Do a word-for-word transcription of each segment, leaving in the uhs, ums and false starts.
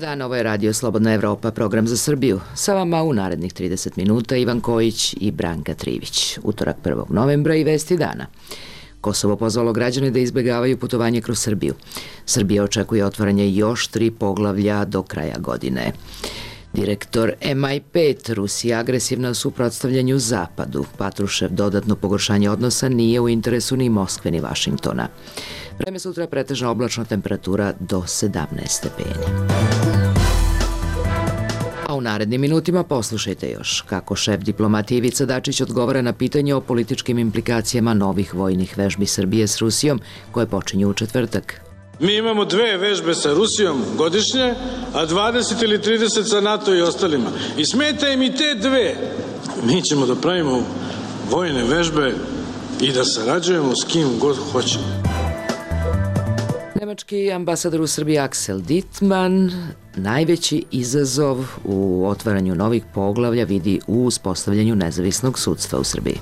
dan, ovo je Radio Slobodna Evropa, program za Srbiju. Sa vama u narednih trideset minuta Ivan Kojić i Branka Trivić. Utorak prvog novembra i vesti dana. Kosovo pozvalo građane da izbegavaju putovanje kroz Srbiju. Srbija očekuje otvaranje još tri poglavlja do kraja godine. Direktor M I pet, Rusija agresivna u suprotstavljanju Zapadu. Patrušev dodatno pogoršanje odnosa nije u interesu ni Moskve ni Vašingtona. Vreme sutra pretežna oblačna temperatura do sedamnaest stepeni. A u narednim minutima poslušajte još kako šef diplomatije Ivica Dačić odgovara na pitanje o političkim implikacijama novih vojnih vežbi Srbije s Rusijom koje počinju u četvrtak. Mi imamo dve vežbe sa Rusijom godišnje, a dvadeset ili trideset sa NATO i ostalima. I smeta im i te dve. Mi ćemo da pravimo vojne vežbe i da sarađujemo s kim god hoćemo. Nemački ambasador u Srbiji Axel Dittmann najveći izazov u otvaranju novih poglavlja vidi u uspostavljanju nezavisnog sudstva u Srbiji.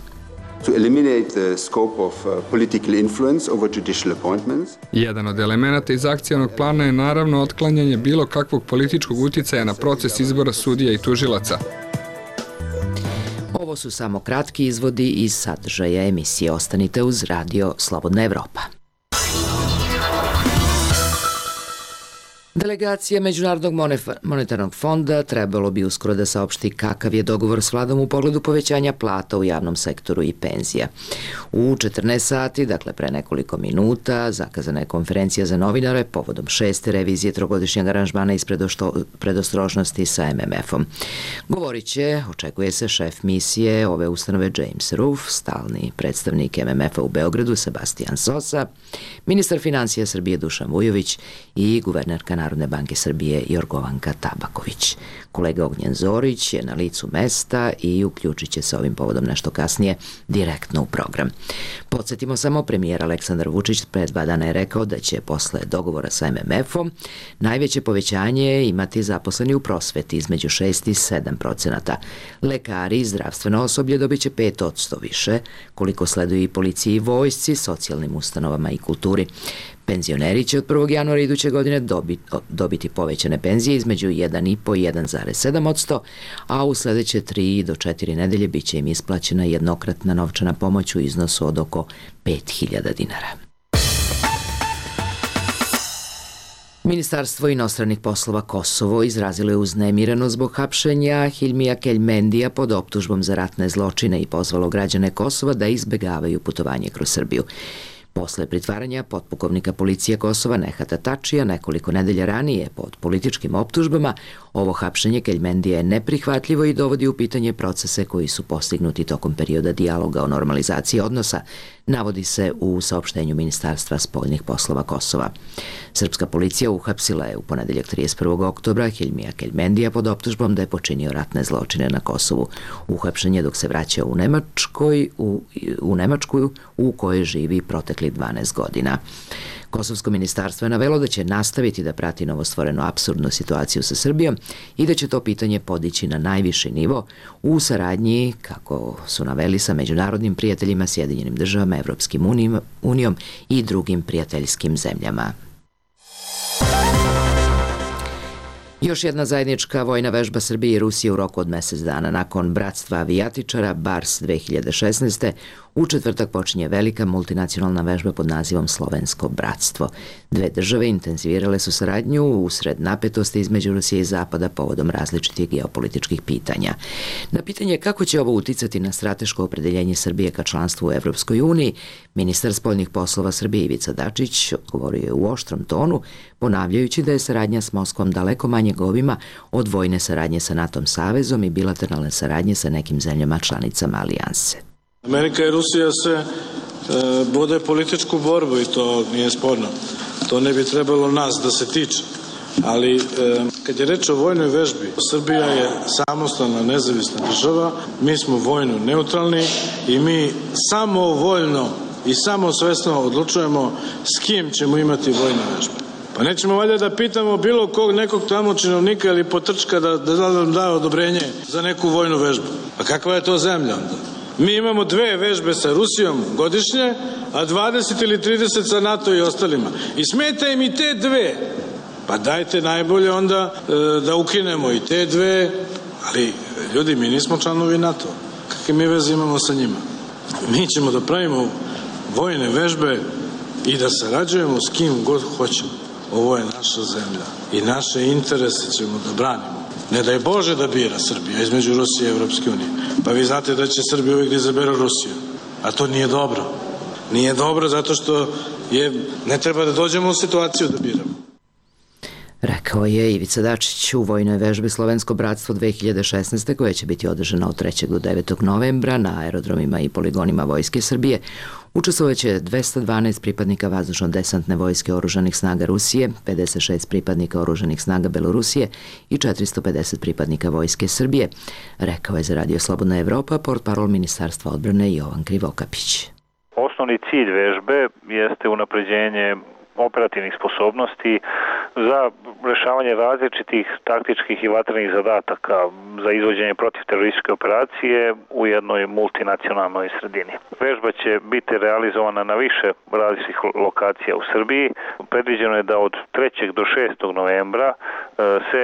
To eliminate the scope of uh, political influence over judicial appointments. Jedan od elemenata iz akcionog plana je naravno otklanjanje bilo kakvog političkog uticaja na proces izbora sudija i tužilaca. Ovo su samo kratki izvodi iz sadržaja emisije. Ostanite uz Radio Slobodna Evropa. Delegacija Međunarodnog monetarnog fonda trebalo bi uskoro da saopšti kakav je dogovor s vladom u pogledu povećanja plata u javnom sektoru i penzija. U četrnaest sati, dakle pre nekoliko minuta, zakazana je konferencija za novinare povodom šeste revizije trogodišnjeg aranžmana iz predostrožnosti sa M M F-om. Govorit će, očekuje se, šef misije ove ustanove James Roof, stalni predstavnik M M F-a u Beogradu Sebastian Sosa, ministar financija Srbije Dušan Vujović i guvernerka Narodne banke Srbije Jorgovanka Tabaković. Kolega Ognjen Zorić je na licu mesta i uključit će se ovim povodom nešto kasnije direktno u program. Podsjetimo samo, premijer Aleksandar Vučić pre dva dana je rekao da će posle dogovora sa M M F-om najveće povećanje imati zaposleni u prosveti između šest i sedam procenata. Lekari i zdravstveno osoblje dobit će pet posto više, koliko sleduju i policiji i vojsci, socijalnim ustanovama i kulturi. Penzioneri će od prvog januara iduće godine dobiti, dobiti povećane penzije između jedan i po i jedan zarez sedam posto, a u sledeće tri do četiri nedelje bit će im isplaćena jednokratna novčana pomoć u iznosu od oko pet hiljada dinara. Ministarstvo inostranih poslova Kosovo izrazilo je uznemireno zbog hapšenja Hilmija Keljmendija pod optužbom za ratne zločine i pozvalo građane Kosova da izbegavaju putovanje kroz Srbiju. Posle pritvaranja potpukovnika policije Kosova Nehata Tačija nekoliko nedelja ranije pod političkim optužbama, ovo hapšenje Keljmendija je neprihvatljivo i dovodi u pitanje procese koji su postignuti tokom perioda dijaloga o normalizaciji odnosa, navodi se u saopštenju Ministarstva spoljnih poslova Kosova. Srpska policija uhapsila je u ponedeljak trideset prvog oktobra Hilmija Keljmendija pod optužbom da je počinio ratne zločine na Kosovu. Uhapšen je dok se vraćao u Nemačkoj, u, u Nemačku u kojoj živi protekli dvanaest godina. Kosovsko ministarstvo je navelo da će nastaviti da prati novostvorenu apsurdnu situaciju sa Srbijom i da će to pitanje podići na najviši nivo u saradnji, kako su naveli, sa međunarodnim prijateljima, Sjedinjenim državama, Evropskim unijom i drugim prijateljskim zemljama. Još jedna zajednička vojna vežba Srbije i Rusije u roku od mesec dana. Nakon bratstva avijatičara Bars dve hiljade šesnaeste. u četvrtak počinje velika multinacionalna vežba pod nazivom Slovensko bratstvo. Dve države intenzivirale su saradnju usred napetosti između Rusije i Zapada povodom različitih geopolitičkih pitanja. Na pitanje kako će ovo uticati na strateško opredeljenje Srbije ka članstvu u Evropskoj uniji, ministar spoljnih poslova Srbije Ivica Dačić odgovorio je u oštrom tonu, ponavljajući da je saradnja s Moskvom daleko manje obima od vojne saradnje sa NATO savezom i bilateralne saradnje sa nekim zemljama članicama alijanse. Amerika i Rusija se e, vode političku borbu i to nije sporno. To ne bi trebalo nas da se tiče. Ali e, kad je reč o vojnoj vežbi, Srbija je samostalna nezavisna država, mi smo vojno neutralni i mi samovoljno i samosvesno odlučujemo s kim ćemo imati vojne vežbe. Pa nećemo valjda da pitamo bilo kog nekog tamo činovnika ili potrčka da, da nam da odobrenje za neku vojnu vežbu. Pa kakva je to zemlja onda? Mi imamo dve vežbe sa Rusijom godišnje, a dvadeset ili trideset sa NATO i ostalima. I smeta im i te dve. Pa dajte najbolje onda e, da ukinemo i te dve, ali ljudi, mi nismo članovi NATO. Kakve mi veze imamo sa njima? Mi ćemo da pravimo vojne vežbe i da sarađujemo s kim god hoćemo. Ovo je naša zemlja i naše interese ćemo da branimo. Ne daj Bože da bira Srbija između Rusije i Evropske unije. Pa vi znate da će Srbija uvijek da izabere Rusiju. A to nije dobro. Nije dobro zato što je, ne treba da dođemo u situaciju da biramo. Rekao je Ivica Dačić u vojnoj vežbi Slovensko bratstvo dve hiljade šesnaeste koja će biti održana od trećeg do devetog novembra na aerodromima i poligonima Vojske Srbije. Učestvovaće dvesta dvanaest pripadnika vazdušno-desantne vojske oružanih snaga Rusije, pedeset šest pripadnika oružanih snaga Belorusije i četiristo pedeset pripadnika Vojske Srbije, rekao je za Radio Slobodna Evropa portparol Ministarstva odbrane Jovan Krivokapić. Osnovni cilj vežbe jeste unapređenje operativnih sposobnosti za rešavanje različitih taktičkih i vatrenih zadataka za izvođenje protivterorističke operacije u jednoj multinacionalnoj sredini. Vežba će biti realizovana na više različitih lokacija u Srbiji. Predviđeno je da od trećeg do šestog novembra se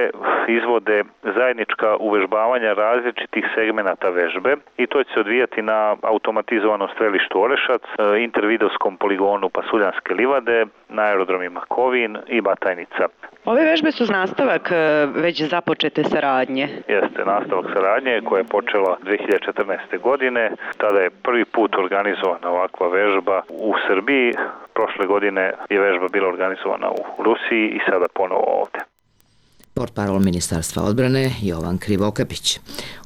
izvode zajednička uvežbavanja različitih segmenata vežbe i to će se odvijati na automatizovanom strelištu Orešac, intervidovskom poligonu Pasuljanske livade, na aerodromima Kovin i Batajnica. Ove vežbe su nastavak već započete saradnje. Jeste, nastavak saradnje koja je počela dve hiljade četrnaeste. godine. Tada je prvi put organizovana ovakva vežba u Srbiji. Prošle godine je vežba bila organizovana u Rusiji i sada ponovo ovde. Portparol Ministarstva odbrane Jovan Krivokapić.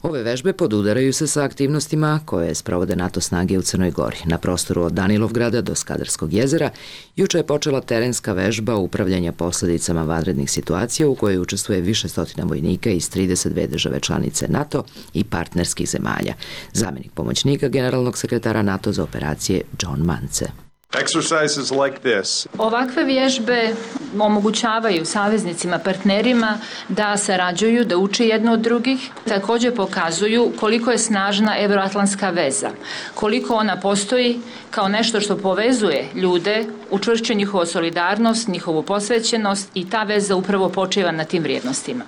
Ove vežbe podudaraju se sa aktivnostima koje sprovode NATO snage u Crnoj Gori. Na prostoru od Danilovgrada do Skadarskog jezera juče je počela terenska vežba upravljanja posledicama vanrednih situacija u kojoj učestvuje više stotina vojnika iz trideset dve države članice NATO i partnerskih zemalja. Zamenik pomoćnika generalnog sekretara NATO za operacije John Mance. Exercises like this. Ovakve vježbe omogućavaju saveznicima, partnerima da sarađuju, da uče jedno od drugih. Također pokazuju koliko je snažna evroatlantska veza, koliko ona postoji kao nešto što povezuje ljude, učvršćuje njihovu solidarnost, njihovu posvećenost i ta veza upravo počiva na tim vrijednostima.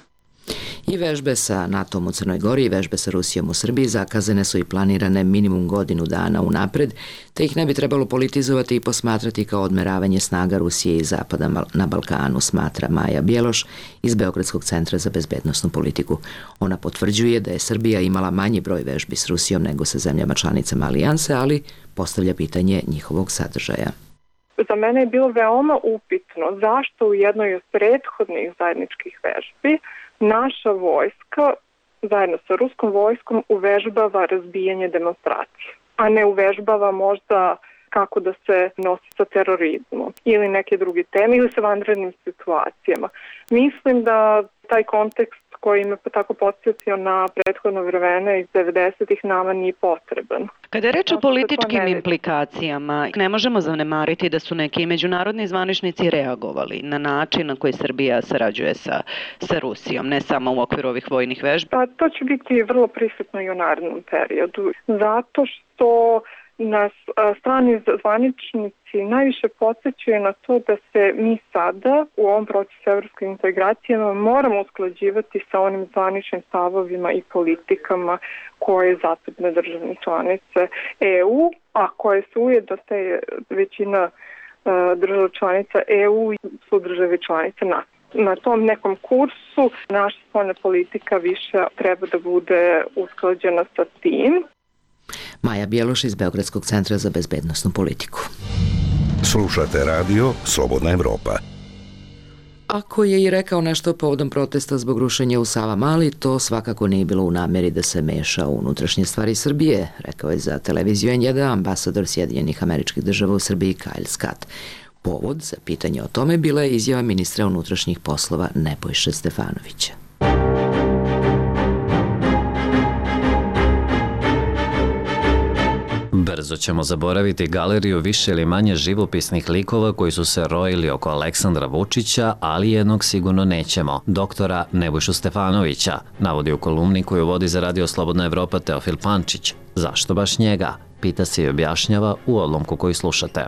I vežbe sa NATO-om u Crnoj Gori i vežbe sa Rusijom u Srbiji zakazane su i planirane minimum godinu dana unapred, te ih ne bi trebalo politizovati i posmatrati kao odmeravanje snaga Rusije i Zapada na Balkanu, smatra Maja Bjeloš iz Beogradskog centra za bezbednosnu politiku. Ona potvrđuje da je Srbija imala manji broj vežbi s Rusijom nego sa zemljama članicama alijanse, ali postavlja pitanje njihovog sadržaja. Za mene je bilo veoma upitno zašto u jednoj od prethodnih zajedničkih vežbi naša vojska zajedno sa ruskom vojskom uvežbava razbijanje demonstracije, a ne uvežbava možda kako da se nosi sa terorizmom ili neke druge teme ili sa vanrednim situacijama. Mislim da taj kontekst koji me tako podsjetio na prethodno vremena iz devedesetih nama nije potreban. Kada je reč o političkim implikacijama, ne možemo zanemariti da su neki međunarodni zvaničnici reagovali na način na koji Srbija sarađuje sa, sa Rusijom, ne samo u okviru ovih vojnih vežbi. Pa to će biti vrlo prisutno i u narednom periodu, zato što nas strani zvaničnici najviše podsjećaju na to da se mi sada u ovom procesu evropske integracijama moramo usklađivati sa onim zvaničnim stavovima i politikama koje zapadne državne članice E U, a koje su ujedno te većina država članica E U i su države članice NATO. Na tom nekom kursu naša spoljna politika više treba da bude usklađena sa tim. Maja Bjeloš iz Beogradskog centra za bezbednosnu politiku. Slušate radio Slobodna Evropa. Ako je i rekao nešto povodom protesta zbog rušenja u Savamali, to svakako nije bilo u nameri da se meša u unutrašnje stvari Srbije, rekao je za televiziju N jedan ambasador Sjedinjenih Američkih Država u Srbiji Kyle Scott. Povod za pitanje o tome bila je izjava ministra unutrašnjih poslova Nebojše Stefanovića. Brzo ćemo zaboraviti galeriju više ili manje živopisnih likova koji su se rojili oko Aleksandra Vučića, ali jednog sigurno nećemo, doktora Nebojšu Stefanovića, navodi u kolumni koju vodi za Radio Slobodna Evropa Teofil Pančić. Zašto baš njega? Pita se i objašnjava u odlomku koji slušate.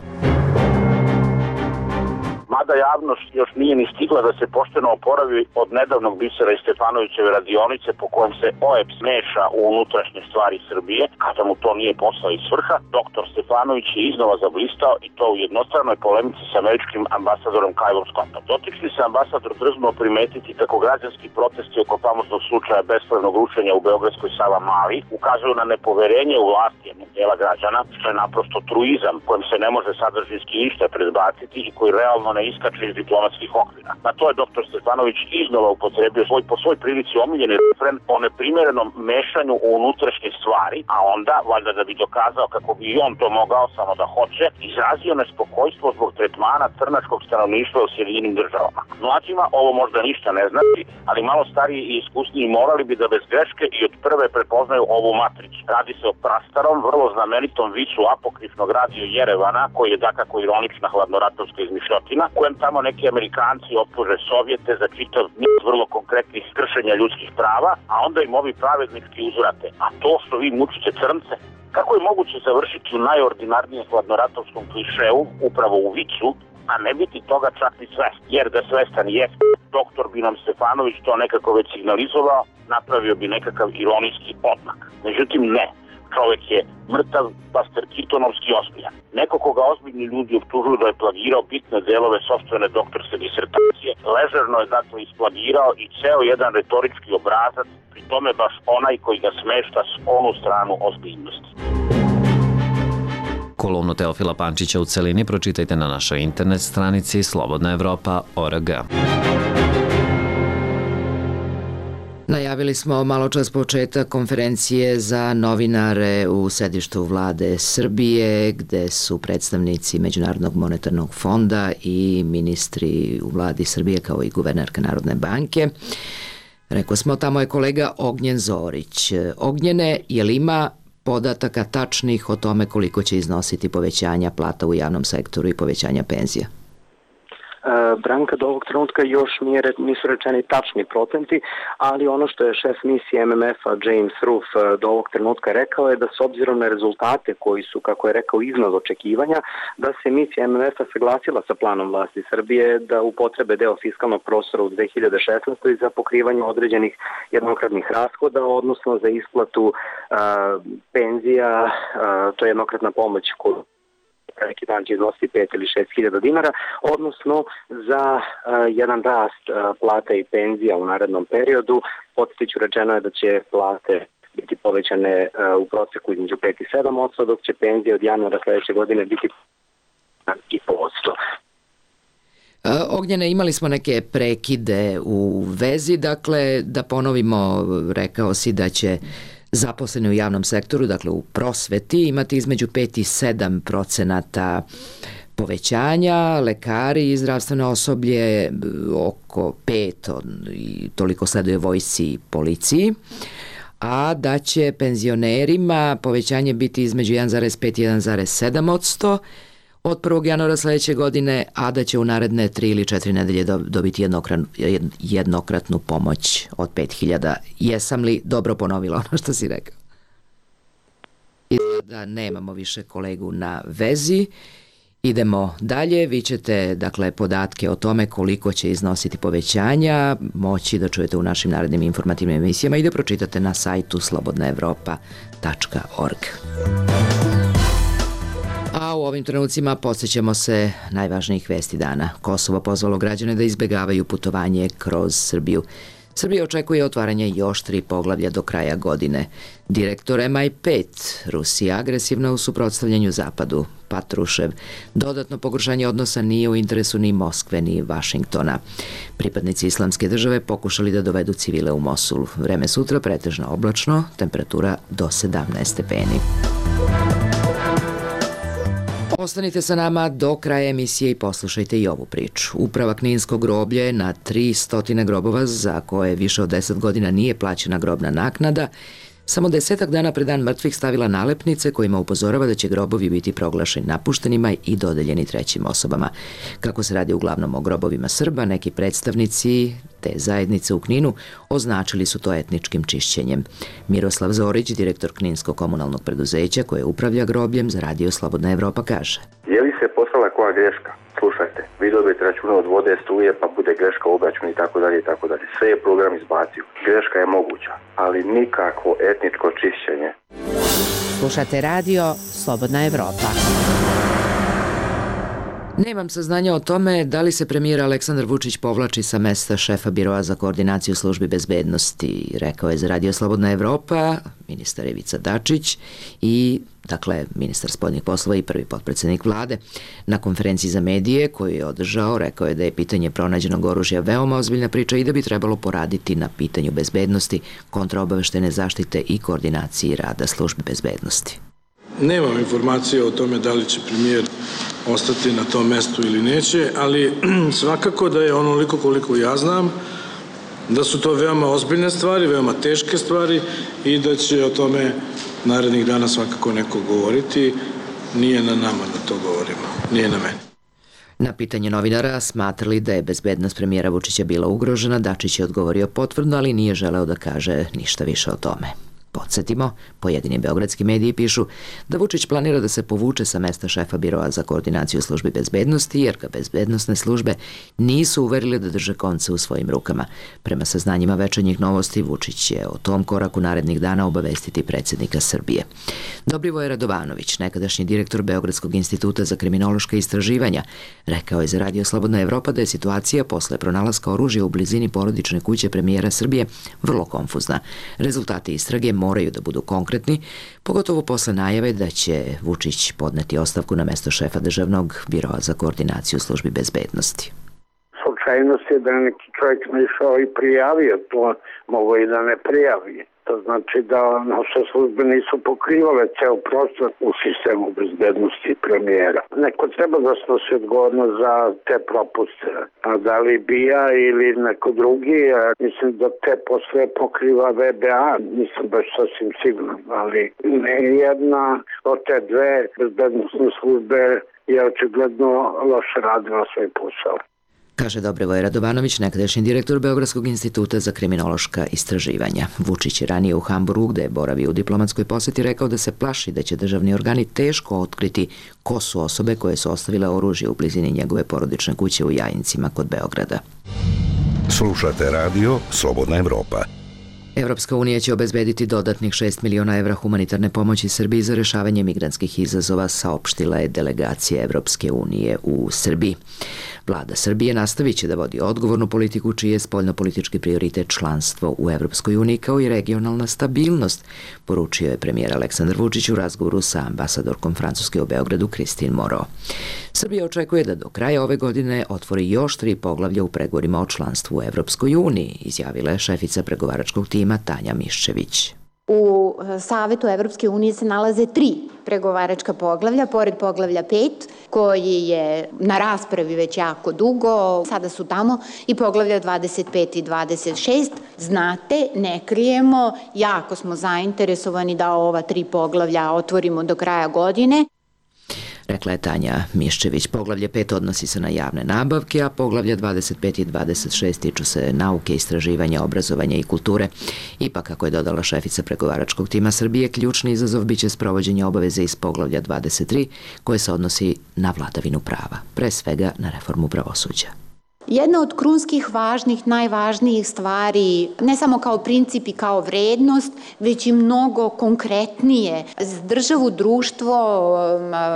Mada mlada javnost još nije ni stigla da se pošteno oporavi od nedavnog bisera iz Stefanovićeve radionice po kojem se O E B S meša u unutrašnje stvari Srbije, kada mu to nije posao i svrha, doktor Stefanović je iznova zablistao i to u jednostranoj polemici sa američkim ambasadorom Kylom Scottom. Dotični se ambasador drznuo primetiti kako građanski protesti oko famoznog slučaja bespravnog rušenja u beogradskoj Savamali ukazuju na nepoverenje u vlasti jednog dela građana, što je naprosto truizam kojem se ne može sadržinski ništa predbaciti i koji realno ne iskače iz diplomatskih okvira. Na to je doktor Stefanović iznova upotrebio svoj, po svoj prilici omiljeni refren o neprimerenom mešanju u unutrašnje stvari, a onda, valjda da bi dokazao kako bi i on to mogao samo da hoće, izrazio nespokojstvo zbog tretmana crnačkog stanovništva u Sjedinjenim državama. Mlađima ovo možda ništa ne znači, ali malo stariji i iskusniji morali bi da bez greške i od prve prepoznaju ovu matricu. Radi se o prastarom, vrlo znamenitom vicu apokrifnog radio Jerevana, koji je dakako ironična hladnoratovska izmišljotina, kojem tamo neki Amerikanci optuže Sovjete za čitav niz vrlo konkretnih kršenja ljudskih prava, a onda im ovi pravednički uzvrate. A to što vi mučite crnce, kako je moguće završiti u najordinarnijem hladnoratovskom klišeu, upravo u vicu, a ne biti toga čak ni svest? Jer da svestan jeste, doktor bi nam Stefanović to nekako već signalizovao, napravio bi nekakav ironijski odmak. Međutim, ne. Čovjek je mrtav, Buster Keatonovski ozbiljan. Neko koga ozbiljni ljudi optužuju da je plagirao bitne delove sopstvene doktorske disertacije, ležerno je dakle isplagirao i ceo jedan retorički obrazac, pri tome baš onaj koji ga smešta s onu stranu ozbiljnosti. Kolumnu Teofila Pančića u celini pročitajte na našoj internet stranici slobodna evropa tačka org. Najavili smo malo čas početak konferencije za novinare u sedištu vlade Srbije, gde su predstavnici Međunarodnog monetarnog fonda i ministri u vladi Srbije kao i guvernerka Narodne banke. Rekao smo, tamo je kolega Ognjen Zorić. Ognjene, je li ima podataka tačnih o tome koliko će iznositi povećanja plata u javnom sektoru i povećanja penzija? Branka, do ovog trenutka još nije, nisu rečeni tačni procenti, ali ono što je šef misije M M F-a James Roof do ovog trenutka rekao je da s obzirom na rezultate koji su, kako je rekao, iznad očekivanja, da se misija M M F-a saglasila sa planom vlasti Srbije da upotrebe deo fiskalnog prostora u dve hiljade šesnaestoj za pokrivanje određenih jednokratnih rashoda, odnosno za isplatu a, penzija, a, to je jednokratna pomoć koju neki dan će iznositi pet ili šest hiljada dinara, odnosno za uh, jedan rast uh, plata i penzija u narednom periodu. Podsjetiću, rečeno je da će plate biti povećane uh, u proseku između pet i sedam posto, dok će penzije od januara sledeće godine biti i posto. Ognjene, imali smo neke prekide u vezi, dakle da ponovimo, rekao si da će zaposleni u javnom sektoru, dakle u prosveti, imati između pet i sedam procenata povećanja, lekari i zdravstveno osoblje oko pet i toliko sleduje vojsci i policiji, a da će penzionerima povećanje biti između jedan zarez pet i jedan zarez sedam posto od prvog januara sledeće godine, a da će u naredne tri ili četiri nedelje dobiti jednokratnu, jednokratnu pomoć od pet hiljada. Jesam li dobro ponovila ono što si rekao? Da nemamo više kolegu na vezi. Idemo dalje. Vi ćete, dakle, podatke o tome koliko će iznositi povećanja moći da čujete u našim narednim informativnim emisijama i da pročitate na sajtu slobodna evropa tačka org. A u ovim trenucima podsjećamo se najvažnijih vesti dana. Kosovo pozvalo građane da izbegavaju putovanje kroz Srbiju. Srbija očekuje otvaranje još tri poglavlja do kraja godine. Direktor M I pet, Rusija agresivna u suprotstavljanju Zapadu, Patrušev. Dodatno pogoršanje odnosa nije u interesu ni Moskve ni Vašingtona. Pripadnici Islamske države pokušali da dovedu civile u Mosul. Vreme sutra pretežno oblačno, temperatura do sedamnaest stepeni. Ostanite sa nama do kraja emisije i poslušajte i ovu priču. Uprava Kninskog groblja je na tristo grobova za koje više od deset godina nije plaćena grobna naknada, samo desetak dana pre dan mrtvih stavila nalepnice kojima upozorava da će grobovi biti proglašeni napuštenima i dodeljeni trećim osobama. Kako se radi uglavnom o grobovima Srba, neki predstavnici te zajednice u Kninu označili su to etničkim čišćenjem. Miroslav Zorić, direktor Kninskog komunalnog preduzeća koje upravlja grobljem za radio Slobodna Evropa, kaže: Je li se poslala koja greška? slušajte, vi dobijete račune od vode, struje, pa bude greška u obračunu i tako dalje i tako dalje. Sve je program izbacio. Greška je moguća, ali nikakvo etničko čišćenje. Slušate radio Slobodna Evropa. Nemam saznanja o tome da li se premijer Aleksandar Vučić povlači sa mesta šefa Biroa za koordinaciju službi bezbednosti, rekao je za radio Slobodna Evropa ministar Ivica Dačić i dakle, ministar spoljnih poslova i prvi potpredsednik vlade. Na konferenciji za medije koju je održao, rekao je da je pitanje pronađenog oružja veoma ozbiljna priča i da bi trebalo poraditi na pitanju bezbednosti, kontraobaveštene zaštite i koordinaciji rada službi bezbednosti. Nemam informacije o tome da li će premijer ostati na tom mestu ili neće, ali svakako da je onoliko koliko ja znam, da su to veoma ozbiljne stvari, veoma teške stvari i da će o tome narednih dana svakako neko govoriti. Nije na nama da to govorimo, nije na meni. Na pitanje novinara smatrali da je bezbednost premijera Vučića bila ugrožena, Dačić je odgovorio potvrdno, ali nije želeo da kaže ništa više o tome. Podsjetimo, pojedini beogradski mediji pišu da Vučić planira da se povuče sa mesta šefa Biroa za koordinaciju službi bezbednosti, jer ga bezbednosne službe nisu uverili da drže konce u svojim rukama. Prema saznanjima Večernjih novosti, Vučić će o tom koraku narednih dana obavestiti predsjednika Srbije. Dobrivoje Radovanović, nekadašnji direktor Beogradskog instituta za kriminološka istraživanja, rekao je za radio Slobodna Evropa da je situacija posle pronalaska oružja u blizini porodične kuće premijera Srbije vrlo konfuzna. Rezultati istrage moraju da budu konkretni, pogotovo posle najave da će Vučić podneti ostavku na mesto šefa državnog Biroa za koordinaciju službi bezbednosti. Slučajnost je da neki čovjek ne išao i prijavio to, mogo i da ne prijavi. To znači da naše službe nisu pokrivale ceo prostor u sistemu bezbednosti premijera. Neko treba da snosi odgovornost za te propuste. A da li B I A ili neko drugi, mislim da te posle pokriva V B A, nisam baš sasvim siguran, ali ne jedna od te dve bezbednostne službe je očigledno loše radila svoj posao. Kaže Dobrivoje Radovanović, nekadašnji direktor Beogradskog instituta za kriminološka istraživanja. Vučić je ranije u Hamburgu, gde je boravio u diplomatskoj poseti, rekao da se plaši da će državni organi teško otkriti ko su osobe koje su ostavile oružje u blizini njegove porodične kuće u Jajincima kod Beograda. Slušate radio Slobodna Evropa. Evropska unija će obezbediti dodatnih šest miliona evra humanitarne pomoći Srbiji za rešavanje migrantskih izazova, saopštila je delegacija Evropske unije u Srbiji. Vlada Srbije nastavit će da vodi odgovornu politiku čiji je spoljnopolitički prioritet članstvo u Evropskoj uniji kao i regionalna stabilnost, poručio je premijer Aleksandar Vučić u razgovoru sa ambasadorkom Francuske u Beogradu Christine Moreau. Srbija očekuje da do kraja ove godine otvori još tri poglavlja u pregovorima o članstvu u Evropskoj uniji, izjavila je šefica pregovaračkog tima Tanja Miščević. U Savetu Evropske unije se nalaze tri pregovaračka poglavlja, pored poglavlja pet, koji je na raspravi već jako dugo. Sada su tamo i poglavlja dvadeset pet i dvadeset šest. Znate, ne krijemo, jako smo zainteresovani da ova tri poglavlja otvorimo do kraja godine. Rekla je Tanja Miščević. Poglavlje pet odnosi se na javne nabavke, a poglavlja dvadeset pet i dvadeset šest tiču se nauke, istraživanja, obrazovanja i kulture. Ipak, kako je dodala šefica pregovaračkog tima Srbije, ključni izazov biće sprovođenje obaveze iz poglavlja dvadeset tri, koje se odnosi na vladavinu prava, pre svega na reformu pravosuđa. Jedna od krunskih važnih, najvažnijih stvari, ne samo kao princip i kao vrednost, već i mnogo konkretnije za državu, društvo,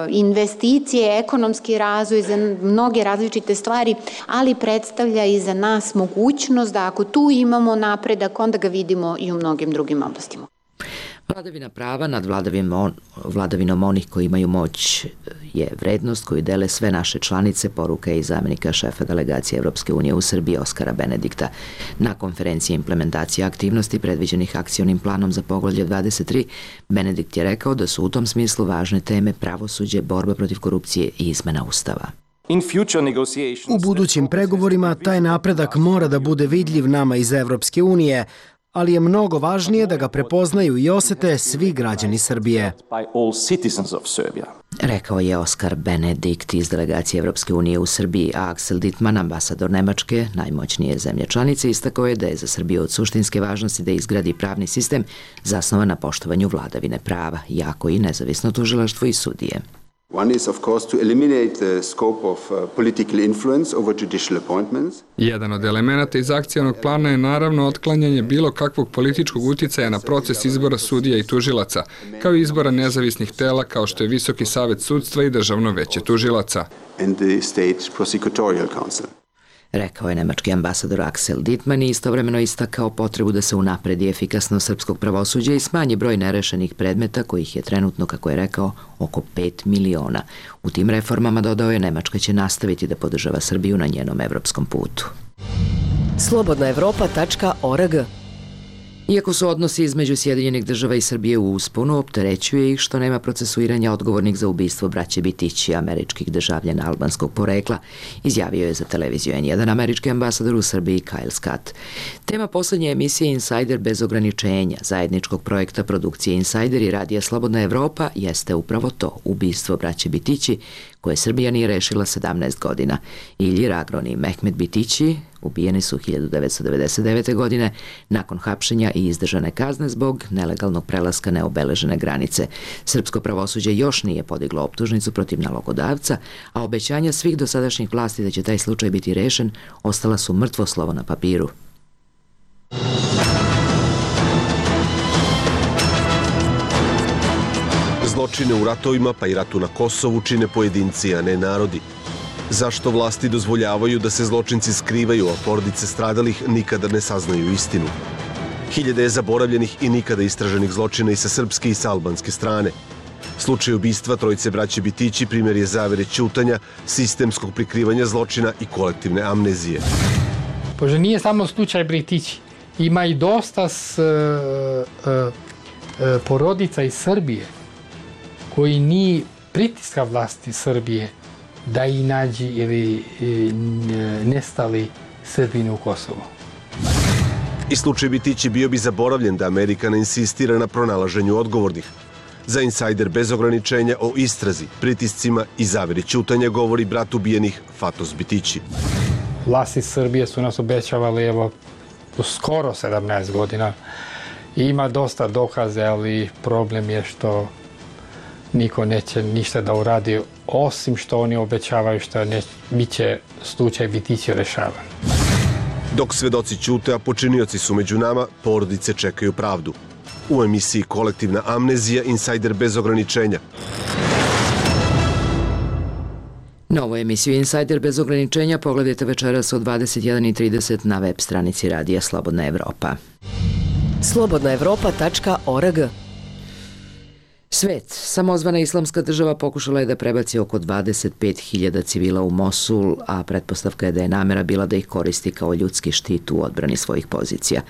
investicije, ekonomski razvoj, za mnoge različite stvari, ali predstavlja i za nas mogućnost da ako tu imamo napredak, onda ga vidimo i u mnogim drugim oblastima. Vladavina prava nad vladavinom, vladavinom onih koji imaju moć je vrednost koju dele sve naše članice, poruka je i zamenika šefa delegacije Evropske unije u Srbiji Oskara Benedikta. Na konferenciji implementacije aktivnosti predviđenih akcionim planom za poglavlje dvadeset tri, Benedikt je rekao da su u tom smislu važne teme pravosuđe, borba protiv korupcije i izmena ustava. U budućim pregovorima taj napredak mora da bude vidljiv nama iz Evropske unije, ali je mnogo važnije da ga prepoznaju i osete svi građani Srbije. Rekao je Oskar Benedikt iz delegacije Evropske unije u Srbiji, a Axel Dittmann, ambasador Nemačke, najmoćnije zemlje članice, istakao je da je za Srbiju od suštinske važnosti da izgradi pravni sistem zasnovan na poštovanju vladavine prava, jako i nezavisno tužilaštvo i sudije. One is, of course, to eliminate the scope of uh, political influence over judicial appointments. Jedan od elemenata iz akcionog plana je naravno otklanjanje bilo kakvog političkog uticaja na proces izbora sudija i tužilaca, kao i izbora nezavisnih tela kao što je Visoki savet sudstva i Državno veće tužilaca. And the State Prosecutorial Council. Rekao je nemački ambasador Axel Dittmann i istovremeno istakao potrebu da se unapredi efikasnost srpskog pravosuđa i smanji broj nerešenih predmeta kojih je trenutno, kako je rekao, oko pet miliona. U tim reformama, dodao je, Nemačka će nastaviti da podržava Srbiju na njenom evropskom putu. slobodna evropa tačka org. Iako su odnosi između Sjedinjenih država i Srbije u usponu, opterećuje ih što nema procesuiranja odgovornih za ubistvo braće Bitići, američkih državljana albanskog porekla, izjavio je za televiziju en jedan američki ambasador u Srbiji Kyle Scott. Tema poslednje emisije Insider bez ograničenja, zajedničkog projekta produkcije Insider i radija Slobodna Evropa, jeste upravo to, ubistvo braće Bitići, koje Srbija nije rešila sedamnaest godina. Ilji Ragron i Mehmet Bitići ubijeni su hiljadu devetsto devedeset devete. godine nakon hapšenja i izdržane kazne zbog nelegalnog prelaska neobeležene granice. Srpsko pravosuđe još nije podiglo optužnicu protiv nalogodavca, a obećanja svih dosadašnjih vlasti da će taj slučaj biti rešen ostala su mrtvo slovo na papiru. Zločine u ratovima, pa i ratu na Kosovu, čine pojedinci, a ne narodi. Zašto vlasti dozvoljavaju da se zločinci skrivaju, a porodice stradalih nikada ne saznaju istinu? Hiljade je zaboravljenih i nikada istraženih zločina i sa srpske i sa albanske strane. Slučaj ubistva trojice braće Bitići primjer je zavere ćutanja, sistemskog prikrivanja zločina i kolektivne amnezije. Pošto nije samo slučaj Bitići, ima i dosta s, uh, uh, uh, porodica iz Srbije koji nije pritiska vlasti Srbije da i nađi ili nestali Srbini u Kosovu. I slučaj Bitići bio bi zaboravljen da Amerika ne insistira na pronalaženju odgovornih. Za Insider bez ograničenja o istrazi, pritiscima i zaveri ćutanja govori brat ubijenih Fatos Bitići. Vlasti Srbije su nas obećavali evo skoro sedamnaest godina. Ima dosta dokaze, ali problem je što niko neće ništa da uradi, osim što oni obećavaju što ne, bit će slučaj Bitići rešavan. Dok svedoci ćute, a počinioci su među nama, porodice čekaju pravdu. U emisiji Kolektivna amnezija, Insider bez ograničenja. Novu emisiju Insider bez ograničenja pogledajte večeras od dvadeset jedan i trideset na web stranici radija Slobodna Evropa. slobodna evropa tačka org. Svet. Samozvana islamska država pokušala je da prebaci oko dvadeset pet hiljada civila u Mosul, a pretpostavka je da je namera bila da ih koristi kao ljudski štit u odbrani svojih pozicija.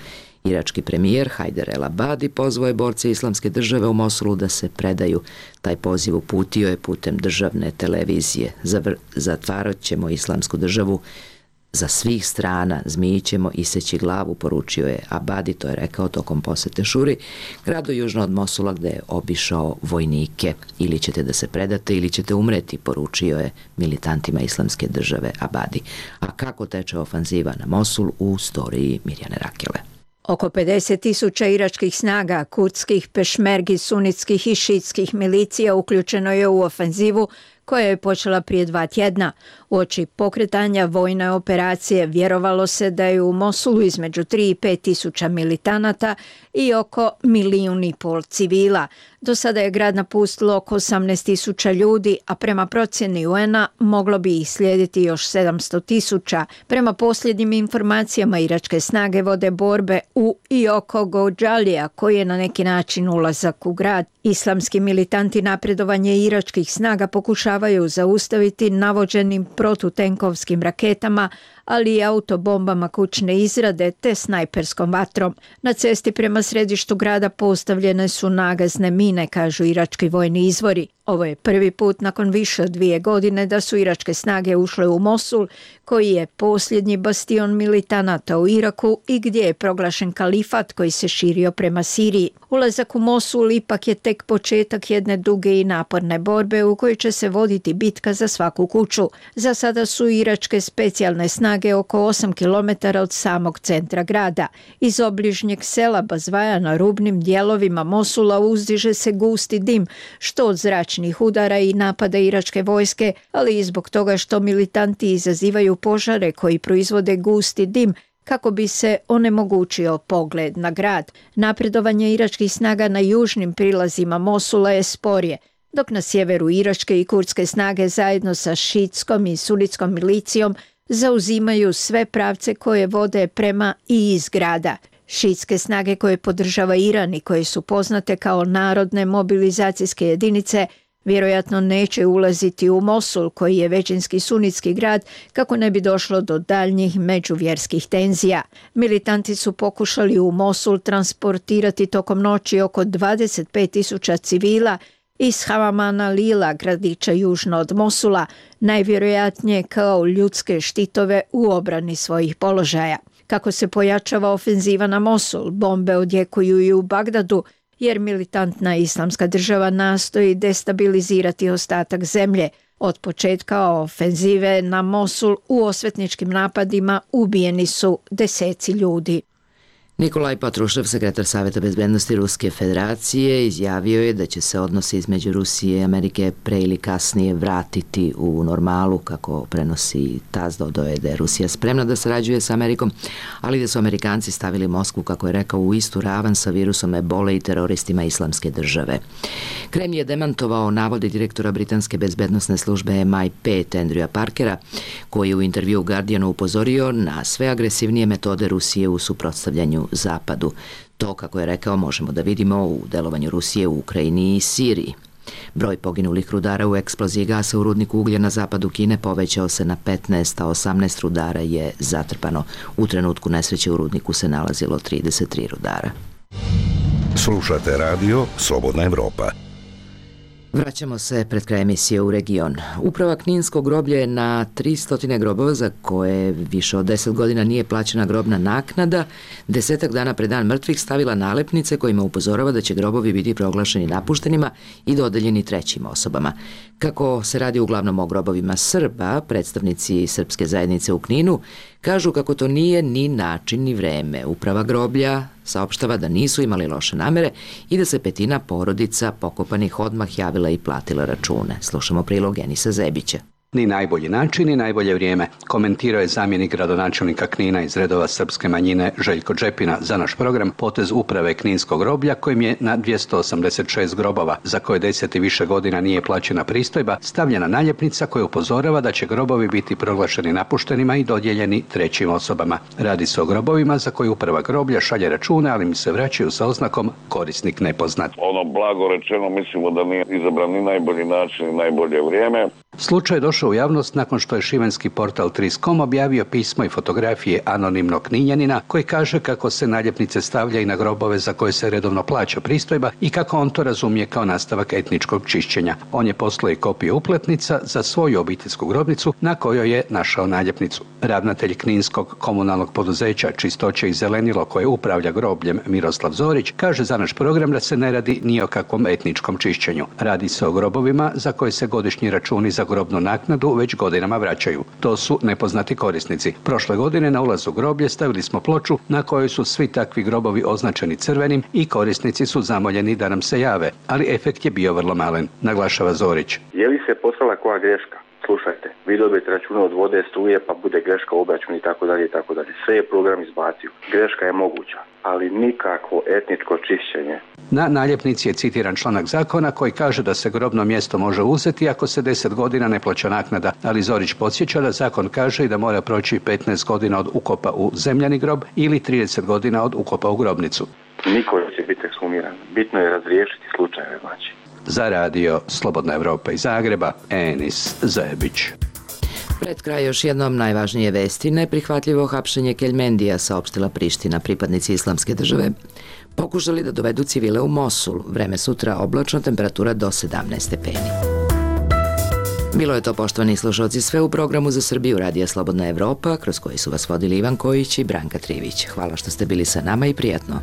Irački premijer Hajder El Abadi pozvao je borce islamske države u Mosulu da se predaju. Taj poziv uputio je putem državne televizije. Zatvarat ćemo islamsku državu za svih strana, zmiji ćemo iseći glavu, poručio je Abadi, to je rekao tokom posete Šuri, gradu južno od Mosula gde je obišao vojnike. Ili ćete da se predate ili ćete umreti, poručio je militantima islamske države Abadi. A kako teče ofanziva na Mosul u storiji Mirjane Rakele. Oko pedeset tisuća iračkih snaga, kurdskih, pešmergi, sunitskih i šitskih milicija uključeno je u ofenzivu koja je počela prije dva tjedna. Uoči pokretanja vojne operacije vjerovalo se da je u Mosulu između tri i pet tisuća militanata i oko milijun i pol civila. Do sada je grad napustilo oko osamnaest tisuća ljudi, a prema procjeni U N-a moglo bi ih slijediti još sedamsto tisuća. Prema posljednjim informacijama iračke snage vode borbe u i oko Gođalija, koji je na neki način ulazak u grad. Islamski militanti napredovanje iračkih snaga pokušavaju zaustaviti navođenim protutenkovskim raketama, ali i autobombama kućne izrade te snajperskom vatrom. Na cesti prema središtu grada postavljene su nagazne mine, kažu irački vojni izvori. Ovo je prvi put nakon više od dvije godine da su iračke snage ušle u Mosul, koji je posljednji bastion militanata u Iraku i gdje je proglašen kalifat koji se širio prema Siriji. Ulazak u Mosul ipak je tek početak jedne duge i naporne borbe u kojoj će se voditi bitka za svaku kuću. Za sada su iračke specijalne snage snage oko osam kilometara od samog centra grada. Iz obližnjeg sela Bazvaja na rubnim dijelovima Mosula uzdiže se gusti dim, što od zračnih udara i napada iračke vojske, ali i zbog toga što militanti izazivaju požare koji proizvode gusti dim, kako bi se onemogućio pogled na grad. Napredovanje iračkih snaga na južnim prilazima Mosula je sporije, dok na sjeveru iračke i kurdske snage zajedno sa šiitskom i sunitskom milicijom zauzimaju sve pravce koje vode prema i iz grada. Šiitske snage koje podržava Iran i koje su poznate kao narodne mobilizacijske jedinice vjerojatno neće ulaziti u Mosul, koji je većinski sunitski grad, kako ne bi došlo do daljnjih međuvjerskih tenzija. Militanti su pokušali u Mosul transportirati tokom noći oko dvadeset pet tisuća civila iz Hamamana Lila, gradića južno od Mosula, najvjerojatnije kao ljudske štitove u obrani svojih položaja. Kako se pojačava ofenziva na Mosul, bombe odjekuju i u Bagdadu, jer militantna islamska država nastoji destabilizirati ostatak zemlje. Od početka ofenzive na Mosul u osvetničkim napadima ubijeni su deseci ljudi. Nikolaj Patrušev, sekretar Saveta bezbednosti Ruske federacije, izjavio je da će se odnosi između Rusije i Amerike pre ili kasnije vratiti u normalu, kako prenosi TASS. Dodao je da je Rusija spremna da sarađuje sa Amerikom, ali da su Amerikanci stavili Moskvu, kako je rekao, u istu ravan sa virusom ebole i teroristima islamske države. Kreml je demantovao navode direktora britanske bezbednosne službe M I pet Andrewa Parkera, koji je u intervju Guardianu upozorio na sve agresivnije metode Rusije u suprotstavljanju Zapadu. To, kako je rekao, možemo da vidimo u delovanju Rusije u Ukrajini i Siriji. Broj poginulih rudara u eksploziji gasa u rudniku uglja na zapadu Kine povećao se na petnaest, a osamnaest rudara je zatrpano. U trenutku nesreće u rudniku se nalazilo trideset tri rudara. Slušate radio Slobodna Evropa. Vraćamo se pred kraj emisije u region. Uprava Kninskog groblja je na tristo grobova za koje više od deset godina nije plaćena grobna naknada, desetak dana pred dan mrtvih stavila nalepnice kojima upozorava da će grobovi biti proglašeni napuštenima i dodeljeni trećim osobama. Kako se radi uglavnom o grobovima Srba, predstavnici srpske zajednice u Kninu kažu kako to nije ni način ni vreme. Uprava groblja saopštava da nisu imali loše namere i da se petina porodica pokopanih odmah javila i platila račune. Slušamo prilog Enisa Zebića. Ni najbolji način, ni najbolje vrijeme, komentirao je zamjenik gradonačelnika Knina iz redova srpske manjine Željko Džepina za naš program potez uprave Kninskog groblja, kojim je na dvjesto osamdeset šest grobova, za koje deset i više godina nije plaćena pristojba, stavljena naljepnica koja upozorava da će grobovi biti proglašeni napuštenima i dodijeljeni trećim osobama. Radi se o grobovima za koje uprava groblja šalje račune, ali mi se vraćaju sa oznakom korisnik nepoznat. Ono blago rečeno mislimo da nije izabran ni najbolji način, ni najbolje vrijeme. Slučaj je došao u javnost nakon što je šibenski portal tri koma com objavio pismo i fotografije anonimnog Kninjanina koji kaže kako se naljepnice stavlja i na grobove za koje se redovno plaća pristojba i kako on to razumije kao nastavak etničkog čišćenja. On je poslao i kopiju upletnica za svoju obiteljsku grobnicu na kojoj je našao naljepnicu. Ravnatelj Kninskog komunalnog poduzeća Čistoće i zelenilo koje upravlja grobljem Miroslav Zorić kaže za naš program da se ne radi ni o kakvom etničkom čišćenju. Radi se o grobovima za koje se godišnji računi za grobnu naknadu već godinama vraćaju. To su nepoznati korisnici. Prošle godine na ulazu groblje stavili smo ploču na kojoj su svi takvi grobovi označeni crvenim i korisnici su zamoljeni da nam se jave, ali efekt je bio vrlo malen, naglašava Zorić. Je li se poslala koja greška? Slušajte, vi dobijete račune od vode, struje, pa bude greška u obračunu i tako dalje i tako dalje. Sve je program izbacio. Greška je moguća, ali nikakvo etničko čišćenje. Na naljepnici je citiran članak zakona koji kaže da se grobno mjesto može uzeti ako se deset godina ne plaća naknada, ali Zorić podsjeća da zakon kaže i da mora proći petnaest godina od ukopa u zemljani grob ili trideset godina od ukopa u grobnicu. Niko će biti ekshumiran. Bitno je razriješiti slučajeve, znači. Za radio Slobodna Evropa iz Zagreba, Enis Zebić. Pred kraj još jednom najvažnije vesti. Neprihvatljivo hapšenje Keljmendija, saopštila Priština. Pripadnici islamske države pokušali da dovedu civile u Mosul. Vreme sutra oblačno, temperatura do sedamnaest stepeni. Bilo je to, poštovani slušalci, sve u programu za Srbiju Radija Slobodna Evropa, kroz koji su vas vodili Ivan Kojić i Branka Trivić. Hvala što ste bili sa nama i prijatno.